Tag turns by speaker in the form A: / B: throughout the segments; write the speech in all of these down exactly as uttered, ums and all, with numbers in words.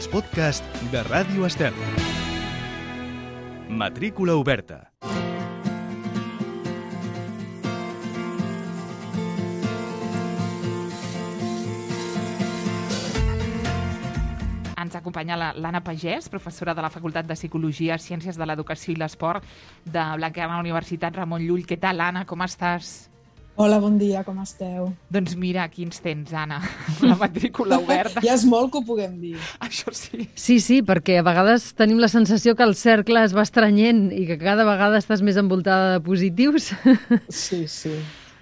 A: els podcasts de Ràdio Estel. Matrícula oberta.
B: Ens acompanya l'Anna Pagès, professora de la Facultat de Psicologia, Ciències de l'Educació i l'Esport de Blanquerna Universitat Ramon Llull. Què tal, Anna? Com estàs?
C: Hola, bon dia, com esteu?
B: Doncs mira, aquí ens tens, Anna, la matrícula oberta.
C: Ja és molt que ho puguem dir.
B: Això sí.
D: Sí, sí, perquè a vegades tenim la sensació que el cercle es va estrenyent i que cada vegada estàs més envoltada de positius.
C: Sí, sí.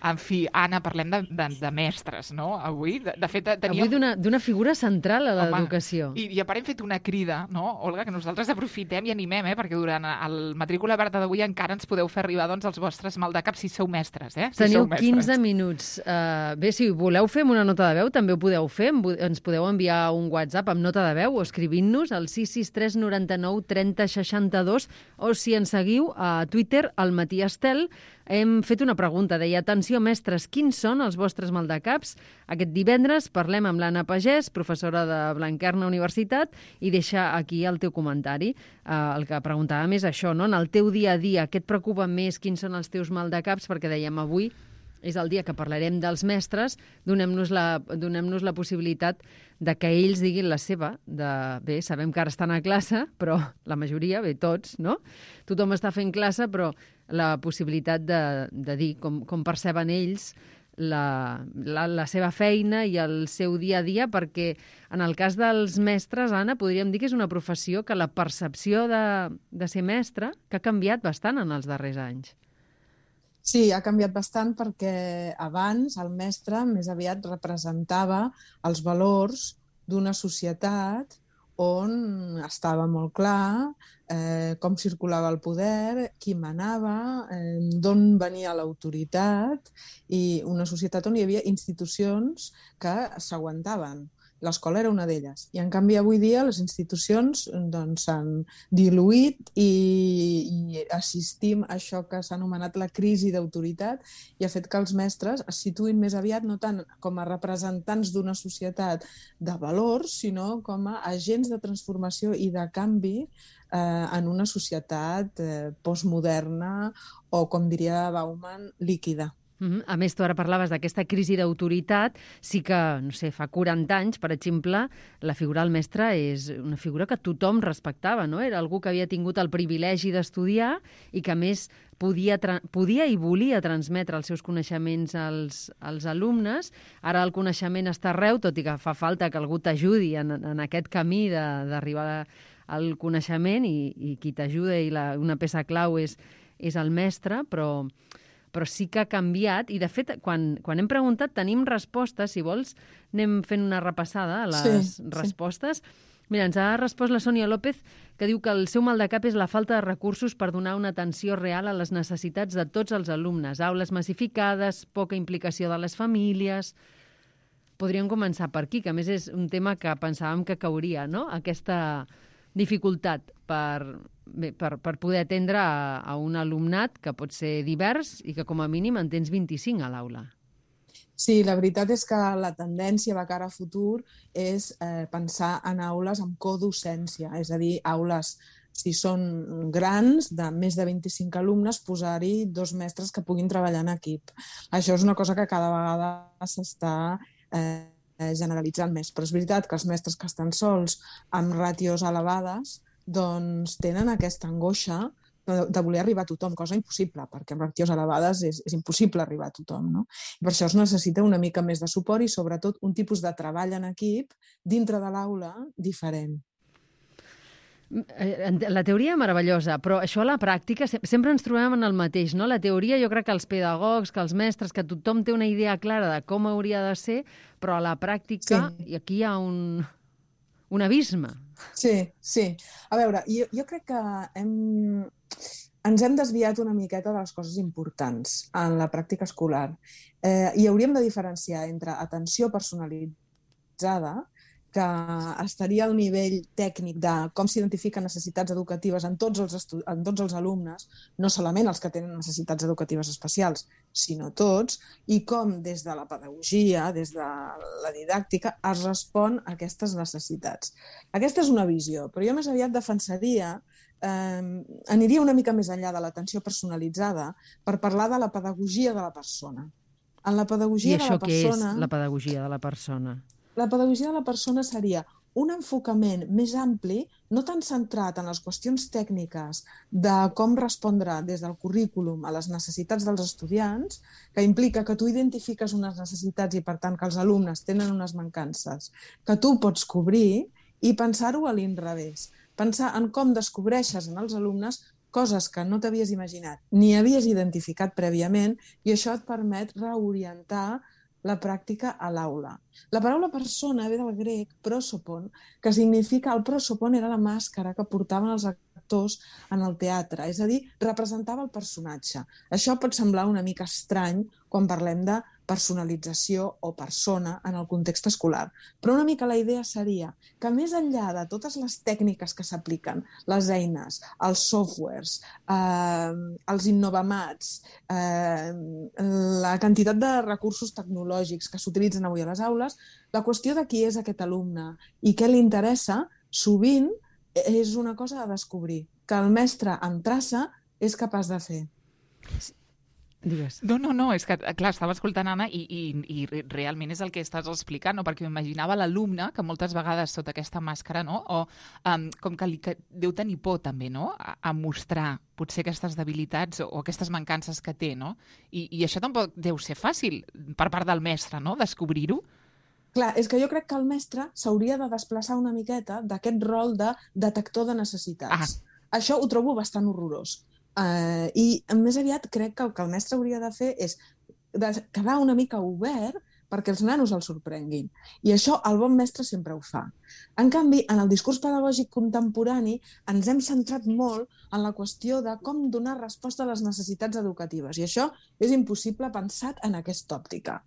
B: En fi, Anna, parlem de, de, de mestres, no? Avui, de, de fet, teníem...
D: Avui d'una d'una figura central a l'educació.
B: I, I a part hem fet una crida, no, Olga, que nosaltres aprofitem i animem, eh? Perquè durant el matrícula oberta d'avui encara ens podeu fer arribar doncs, els vostres maldecaps si sou mestres, eh? Si
D: Teniu
B: sou mestres.
D: quinze minuts. Uh, bé, si voleu fer una nota de veu, també ho podeu fer. Ens podeu enviar un WhatsApp amb nota de veu o escrivint-nos al sis sis tres noranta-nou trenta seixanta-dos o si ens seguiu a Twitter, al Matí Estel. Hem fet una pregunta, deia, atenció mestres, quins són els vostres maldecaps? Aquest divendres parlem amb l'Anna Pagès, professora de Blanquerna Universitat, i deixa aquí el teu comentari. Uh, el que preguntàvem és això, no? En el teu dia a dia, què et preocupa més? Quins són els teus maldecaps? Perquè dèiem, avui és el dia que parlarem dels mestres, donem-nos la, donem-nos la possibilitat de que ells diguin la seva. De, bé, sabem que ara estan a classe, però la majoria, bé, tots, no? Tothom està fent classe, però la possibilitat de, de dir com, com perceben ells la, la, la seva feina i el seu dia a dia, perquè en el cas dels mestres, Anna, podríem dir que és una professió que la percepció de, de ser mestre que ha canviat bastant en els darrers anys.
C: Sí, ha canviat bastant perquè abans el mestre més aviat representava els valors d'una societat on estava molt clar eh, com circulava el poder, qui manava, eh, d'on venia l'autoritat i una societat on hi havia institucions que s'aguantaven. L'escola era una d'elles. I, en canvi, avui dia les institucions doncs, s'han diluït i, i assistim a això que s'ha anomenat la crisi d'autoritat i ha fet que els mestres es situïn més aviat no tant com a representants d'una societat de valors, sinó com a agents de transformació i de canvi eh, en una societat eh, postmoderna o, com diria Bauman, líquida.
D: Uh-huh. A més, tu ara parlaves d'aquesta crisi d'autoritat. Sí que, no sé, fa quaranta anys, per exemple, la figura del mestre és una figura que tothom respectava, no? Era algú que havia tingut el privilegi d'estudiar i que, a més, podia, tra- podia i volia transmetre els seus coneixements als, als alumnes. Ara el coneixement està arreu, tot i que fa falta que algú t'ajudi en, en aquest camí de, d'arribar al coneixement i, i qui t'ajuda i la, una peça clau és, és el mestre, però... però sí que ha canviat i, de fet, quan, quan hem preguntat tenim respostes. Si vols, anem fent una repassada a les sí, respostes. Sí. Mira, ens ha respost la Sònia López, que diu que el seu maldecap és la falta de recursos per donar una atenció real a les necessitats de tots els alumnes. Aules massificades, poca implicació de les famílies... Podríem començar per aquí, que a més és un tema que pensàvem que cauria, no? Aquesta dificultat per, bé, per, per poder atendre a, a un alumnat que pot ser divers i que com a mínim en tens vint-i-cinc a l'aula.
C: Sí, la veritat és que la tendència de cara a futur és eh, pensar en aules amb codocència, és a dir, aules, si són grans, de més de vint-i-cinc alumnes, posar-hi dos mestres que puguin treballar en equip. Això és una cosa que cada vegada s'està eh, generalitzant més, però és veritat que els mestres que estan sols amb ràtios elevades doncs tenen aquesta angoixa de voler arribar a tothom, cosa impossible, perquè amb ràtios elevades és, és impossible arribar a tothom, no? I per això es necessita una mica més de suport i sobretot un tipus de treball en equip dintre de l'aula diferent.
D: La teoria meravellosa, però això a la pràctica sempre ens trobem en el mateix, no? La teoria, jo crec que els pedagogs, que els mestres, que tothom té una idea clara de com hauria de ser, però a la pràctica sí. I aquí hi ha un, un abisme.
C: Sí, sí. A veure, jo, jo crec que hem, ens hem desviat una miqueta de les coses importants en la pràctica escolar eh, i hauríem de diferenciar entre atenció personalitzada que estaria al nivell tècnic de com s'identifiquen necessitats educatives en tots, els estu- en tots els alumnes, no solament els que tenen necessitats educatives especials, sinó tots, i com des de la pedagogia, des de la didàctica, es respon a aquestes necessitats. Aquesta és una visió, però jo més aviat defensaria, eh, aniria una mica més enllà de l'atenció personalitzada per parlar de la pedagogia de la persona. En la pedagogia
D: I
C: de
D: això
C: la
D: què
C: persona...
D: és la pedagogia de la persona?
C: La pedagogia de la persona seria un enfocament més ampli, no tan centrat en les qüestions tècniques de com respondre des del currículum a les necessitats dels estudiants, que implica que tu identifiques unes necessitats i, per tant, que els alumnes tenen unes mancances que tu pots cobrir, i pensar-ho a l'inrevés. Pensar en com descobreixes en els alumnes coses que no t'havies imaginat ni havies identificat prèviament, i això et permet reorientar la pràctica a l'aula. La paraula persona ve del grec prosopon, que significa... El prosopon era la màscara que portaven els actors en el teatre, és a dir, representava el personatge. Això pot semblar una mica estrany quan parlem de personalització o persona en el context escolar, però una mica la idea seria que més enllà de totes les tècniques que s'apliquen, les eines, els softwares, eh, els innovamats, eh, la quantitat de recursos tecnològics que s'utilitzen avui a les aules, la qüestió de qui és aquest alumne i què li interessa, sovint és una cosa a descobrir, que el mestre amb traça és capaç de fer.
D: Digues.
B: No, no, no, és que, clar, estava escoltant Anna i, i, i realment és el que estàs explicant, no? Perquè m'imaginava l'alumne que moltes vegades sota aquesta màscara, no? O um, com que, li, que deu tenir por també, no? A, a mostrar potser aquestes debilitats o, o aquestes mancances que té, no? I, I això tampoc deu ser fàcil per part del mestre, no?, descobrir-ho.
C: Clar, és que jo crec que el mestre s'hauria de desplaçar una miqueta d'aquest rol de detector de necessitats. Ah. Això ho trobo bastant horrorós. Uh, I més aviat crec que el que el mestre hauria de fer és de quedar una mica obert perquè els nanos el sorprenguin. I això el bon mestre sempre ho fa. En canvi, en el discurs pedagògic contemporani ens hem centrat molt en la qüestió de com donar resposta a les necessitats educatives. I això és impossible pensat en aquesta òptica.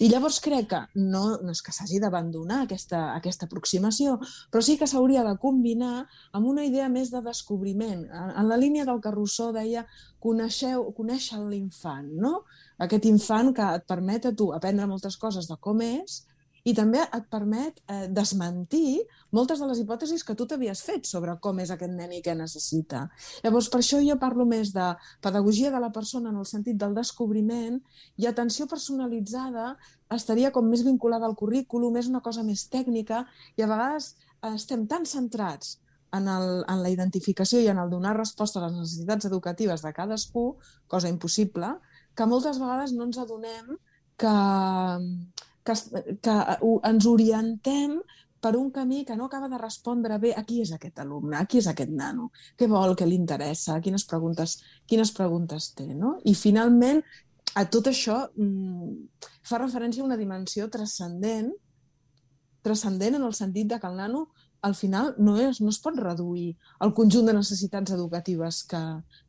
C: I llavors crec que no, no és que s'hagi d'abandonar aquesta, aquesta aproximació, però sí que s'hauria de combinar amb una idea més de descobriment. En, en la línia del que Rousseau deia, coneixeu, conèixer l'infant, no? Aquest infant que et permet a tu aprendre moltes coses de com és i també et permet eh, desmentir moltes de les hipòtesis que tu t'havies fet sobre com és aquest nen i què necessita. Llavors, per això jo parlo més de pedagogia de la persona en el sentit del descobriment, i atenció personalitzada estaria com més vinculada al currículum, és una cosa més tècnica, i a vegades estem tan centrats en, el, en la identificació i en el donar resposta a les necessitats educatives de cadascú, cosa impossible, que moltes vegades no ens adonem que... Que, que ens orientem per un camí que no acaba de respondre bé a qui és aquest alumne, a qui és aquest nano, què vol, què li interessa, quines preguntes, quines preguntes té, no? I finalment, a tot això mmm, fa referència a una dimensió transcendent, transcendent en el sentit de que el nano al final no, és, no es pot reduir al conjunt de necessitats educatives que,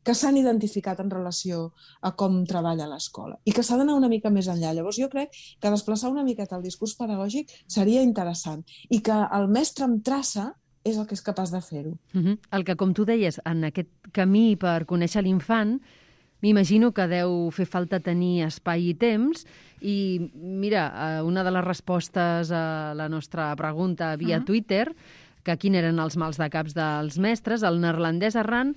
C: que s'han identificat en relació a com treballa l'escola i que s'ha d'anar una mica més enllà. Llavors jo crec que desplaçar una miqueta el discurs pedagògic seria interessant i que el mestre amb traça és el que és capaç de fer-ho.
D: Uh-huh. El que, com tu deies, en aquest camí per conèixer l'infant, m'imagino que deu fer falta tenir espai i temps i, mira, una de les respostes a la nostra pregunta via uh-huh. Twitter, que quin eren els mals de caps dels mestres, el neerlandès Arran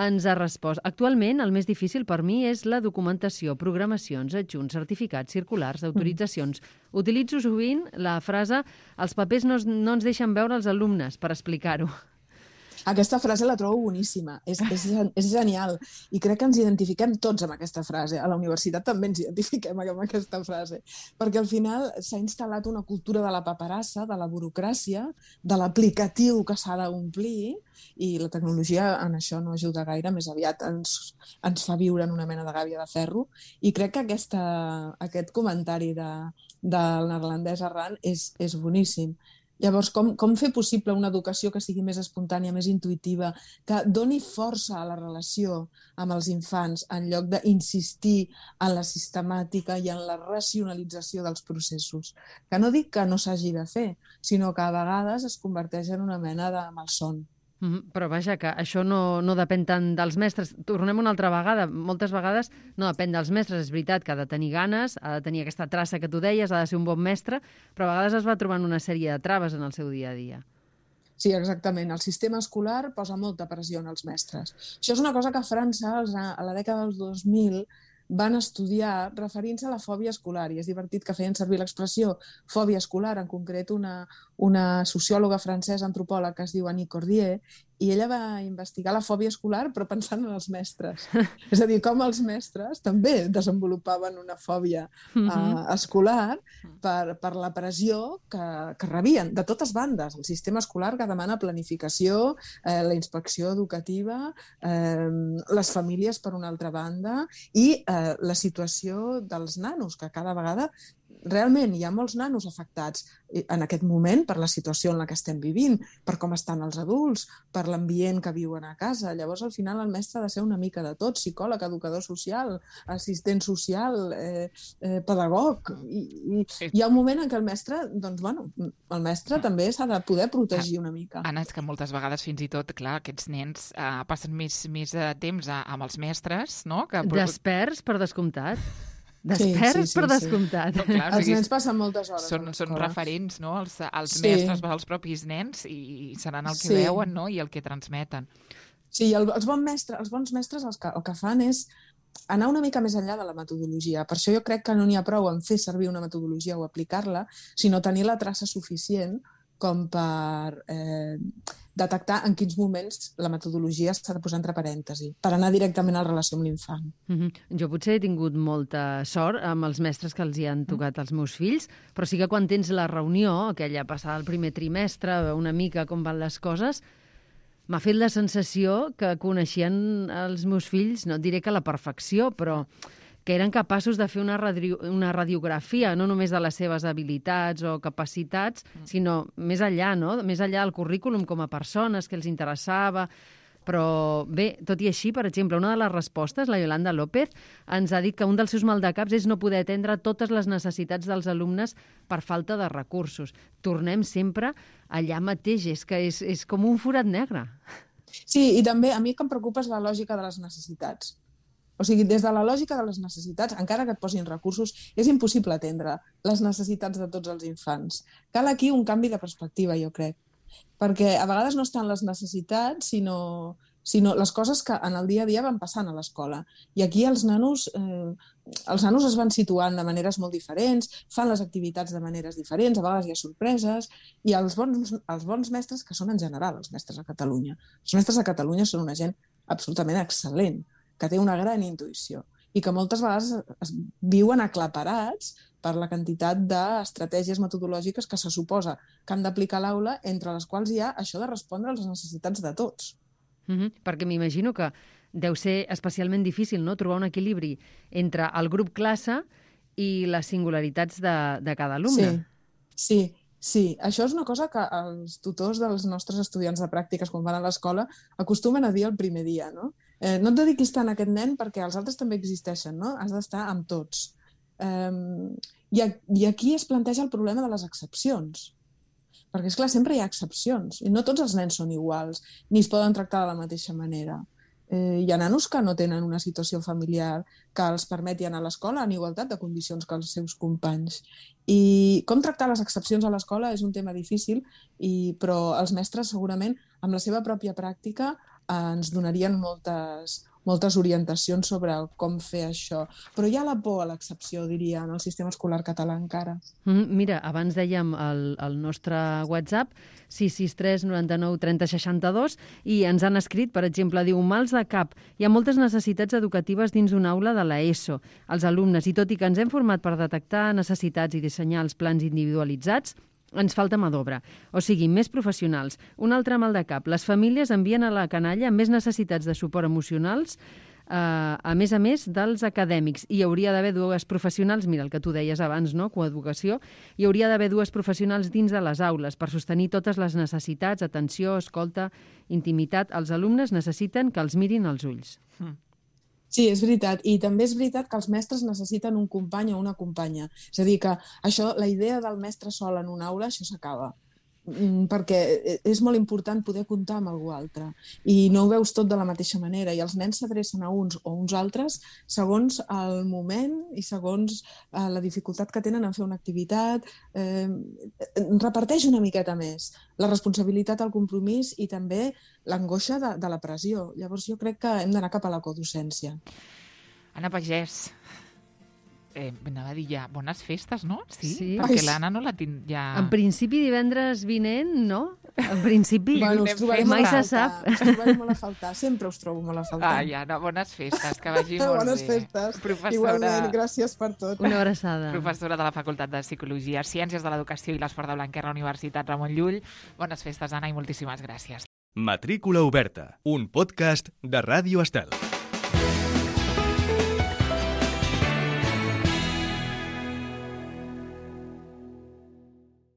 D: ens ha respost. Actualment, el més difícil per mi és la documentació, programacions, adjunts, certificats, circulars, autoritzacions. Mm. Utilitzo sovint la frase «els papers no, no ens deixen veure els alumnes» per explicar-ho.
C: Aquesta frase la trobo boníssima, és, és, és genial, i crec que ens identifiquem tots amb aquesta frase. A la universitat també ens identifiquem amb aquesta frase, perquè al final s'ha instal·lat una cultura de la paperassa, de la burocràcia, de l'aplicatiu que s'ha d'omplir, i la tecnologia en això no ajuda gaire, més aviat ens, ens fa viure en una mena de gàbia de ferro, i crec que aquesta, aquest comentari de, del neerlandès Arran és, és boníssim. Llavors, com, com fer possible una educació que sigui més espontània, més intuïtiva, que doni força a la relació amb els infants en lloc d'insistir en la sistemàtica i en la racionalització dels processos? Que no dic que no s'hagi de fer, sinó que a vegades es converteix en una mena de malson.
D: Mm, però vaja, que això no, no depèn tant dels mestres. Tornem una altra vegada. Moltes vegades no depèn dels mestres. És veritat que ha de tenir ganes, ha de tenir aquesta traça que tu deies, ha de ser un bon mestre, però a vegades es va trobant una sèrie de traves en el seu dia a dia.
C: Sí, exactament. El sistema escolar posa molta pressió en els mestres. Això és una cosa que a França, a la dècada dels dos mil, van estudiar referint-se a la fòbia escolar, i és divertit que feien servir l'expressió fòbia escolar, en concret una, una sociòloga francesa, antropòloga, que es diu Annie Cordier, i ella va investigar la fòbia escolar però pensant en els mestres. És a dir, com els mestres també desenvolupaven una fòbia uh, escolar per, per la pressió que, que rebien de totes bandes. El sistema escolar que demana planificació, eh, la inspecció educativa, eh, les famílies per una altra banda, i eh, la situació dels nanos, que cada vegada realment hi ha molts nanos afectats en aquest moment per la situació en la que estem vivint, per com estan els adults, per l'ambient que viuen a casa. Llavors, al final, el mestre ha de ser una mica de tot: psicòleg, educador social, assistent social, eh, eh, pedagog. I, i sí. Hi ha un moment en què el mestre, doncs, bueno, el mestre també s'ha de poder protegir una mica.
B: Anna, és que moltes vegades, fins i tot, clar, aquests nens eh, passen més, més eh, temps a, amb els mestres, no? Que...
D: Desperts, per descomptat. Desperts, sí, sí, sí, per descomptat.
C: Sí. No, clar, els nens passen moltes hores.
B: Són, són referents, no? Els, els sí. mestres, els propis nens, i seran el que sí. veuen, no? I el que transmeten.
C: Sí, el, els, bons mestres, els bons mestres els que, el que fan és anar una mica més enllà de la metodologia. Per això jo crec que no n'hi ha prou en fer servir una metodologia o aplicar-la, sinó tenir la traça suficient com per eh, detectar en quins moments la metodologia s'ha de posar entre parèntesi, per anar directament a la relació amb l'infant.
D: Mm-hmm. Jo potser he tingut molta sort amb els mestres que els hi han tocat als meus fills, però sí que quan tens la reunió, aquella passada el primer trimestre, una mica com van les coses, m'ha fet la sensació que coneixien els meus fills, no et diré que a la perfecció, però que eren capaços de fer una, radio, una radiografia, no només de les seves habilitats o capacitats, sinó més enllà, no? Més enllà del currículum com a persones, que els interessava. Però bé, tot i així, per exemple, una de les respostes, la Yolanda López, ens ha dit que un dels seus maldecaps és no poder atendre totes les necessitats dels alumnes per falta de recursos. Tornem sempre allà mateix, és que és, és com un forat negre.
C: Sí, i també a mi el que em preocupa és la lògica de les necessitats. O sigui, des de la lògica de les necessitats, encara que et posin recursos, és impossible atendre les necessitats de tots els infants. Cal aquí un canvi de perspectiva, jo crec. Perquè a vegades no estan les necessitats, sinó, sinó les coses que en el dia a dia van passant a l'escola. I aquí els nanos, eh, els nanos es van situant de maneres molt diferents, fan les activitats de maneres diferents, a vegades hi ha sorpreses, i els bons, els bons mestres, que són en general els mestres a Catalunya. Els mestres a Catalunya són una gent absolutament excel·lent, que té una gran intuïció i que moltes vegades es viuen aclaparats per la quantitat d'estratègies metodològiques que se suposa que han d'aplicar a l'aula, entre les quals hi ha això de respondre a les necessitats de tots.
D: Mm-hmm, perquè m'imagino que deu ser especialment difícil, no?, trobar un equilibri entre el grup classe i les singularitats de, de cada alumne.
C: Sí, sí. Sí, això és una cosa que els tutors dels nostres estudiants de pràctiques, quan van a l'escola, acostumen a dir el primer dia, no? Eh, no et dediquis tant a aquest nen perquè els altres també existeixen, no? Has d'estar amb tots. Eh, i, a, I aquí es planteja el problema de les excepcions. Perquè, esclar, sempre hi ha excepcions. I no tots els nens són iguals, ni es poden tractar de la mateixa manera. Eh, hi ha nanos que no tenen una situació familiar que els permeti anar a l'escola en igualtat de condicions que els seus companys. I com tractar les excepcions a l'escola és un tema difícil, i, però els mestres segurament amb la seva pròpia pràctica eh, ens donarien moltes, moltes orientacions sobre com fer això. Però hi ha la por a l'excepció, diria, en el sistema escolar català encara.
D: Mm, mira, abans dèiem el, el nostre WhatsApp, sis sis tres noranta nou trenta seixanta dos, i ens han escrit, per exemple, diu, mals de cap. Hi ha moltes necessitats educatives dins una aula de l'ESO. Els alumnes, i tot i que ens hem format per detectar necessitats i dissenyar els plans individualitzats, ens falta mà d'obra, o sigui, més professionals. Un altre mal de cap, les famílies envien a la canalla més necessitats de suport emocionals Uh, a més a més dels acadèmics. Hi hauria d'haver dues professionals, mira el que tu deies abans, no? Coeducació, hi hauria d'haver dues professionals dins de les aules per sostenir totes les necessitats, atenció, escolta, intimitat. Els alumnes necessiten que els mirin als ulls.
B: Mm.
C: Sí, és veritat. I també és veritat que els mestres necessiten un company o una companya. És a dir, que això, la idea del mestre sol en una aula, això s'acaba. Perquè és molt important poder comptar amb algú altre i no ho veus tot de la mateixa manera i els nens s'adrecen a uns o uns altres segons el moment i segons eh, la dificultat que tenen en fer una activitat, eh, reparteix una miqueta més la responsabilitat, el compromís i també l'angoixa de, de la pressió. Llavors jo crec que hem d'anar cap a la codocència.
B: Anna Pagès, Eh, anava a dir ja, bones festes, no? Sí,
D: Sí.
B: perquè
C: Ai,
B: l'Anna no la tinc ja...
D: En principi divendres vinent, no? En principi
B: Bueno,
C: us trobaré
D: mai
C: molt a
D: se
C: faltar,
D: sap.
C: us trobaré molt a faltar. Sempre us trobo molt a faltar.
B: Ai, Anna, bones festes, que vagi molt
C: Bones
B: bé.
C: festes.
B: Professora,
C: Igualment, gràcies per tot.
D: Una abraçada.
B: professora de la Facultat de Psicologia, Ciències de l'Educació i l'Esport de Blanquer a la Universitat Ramon Llull. Bones festes, Anna, i moltíssimes gràcies.
A: Matrícula oberta, un podcast de Ràdio Estel.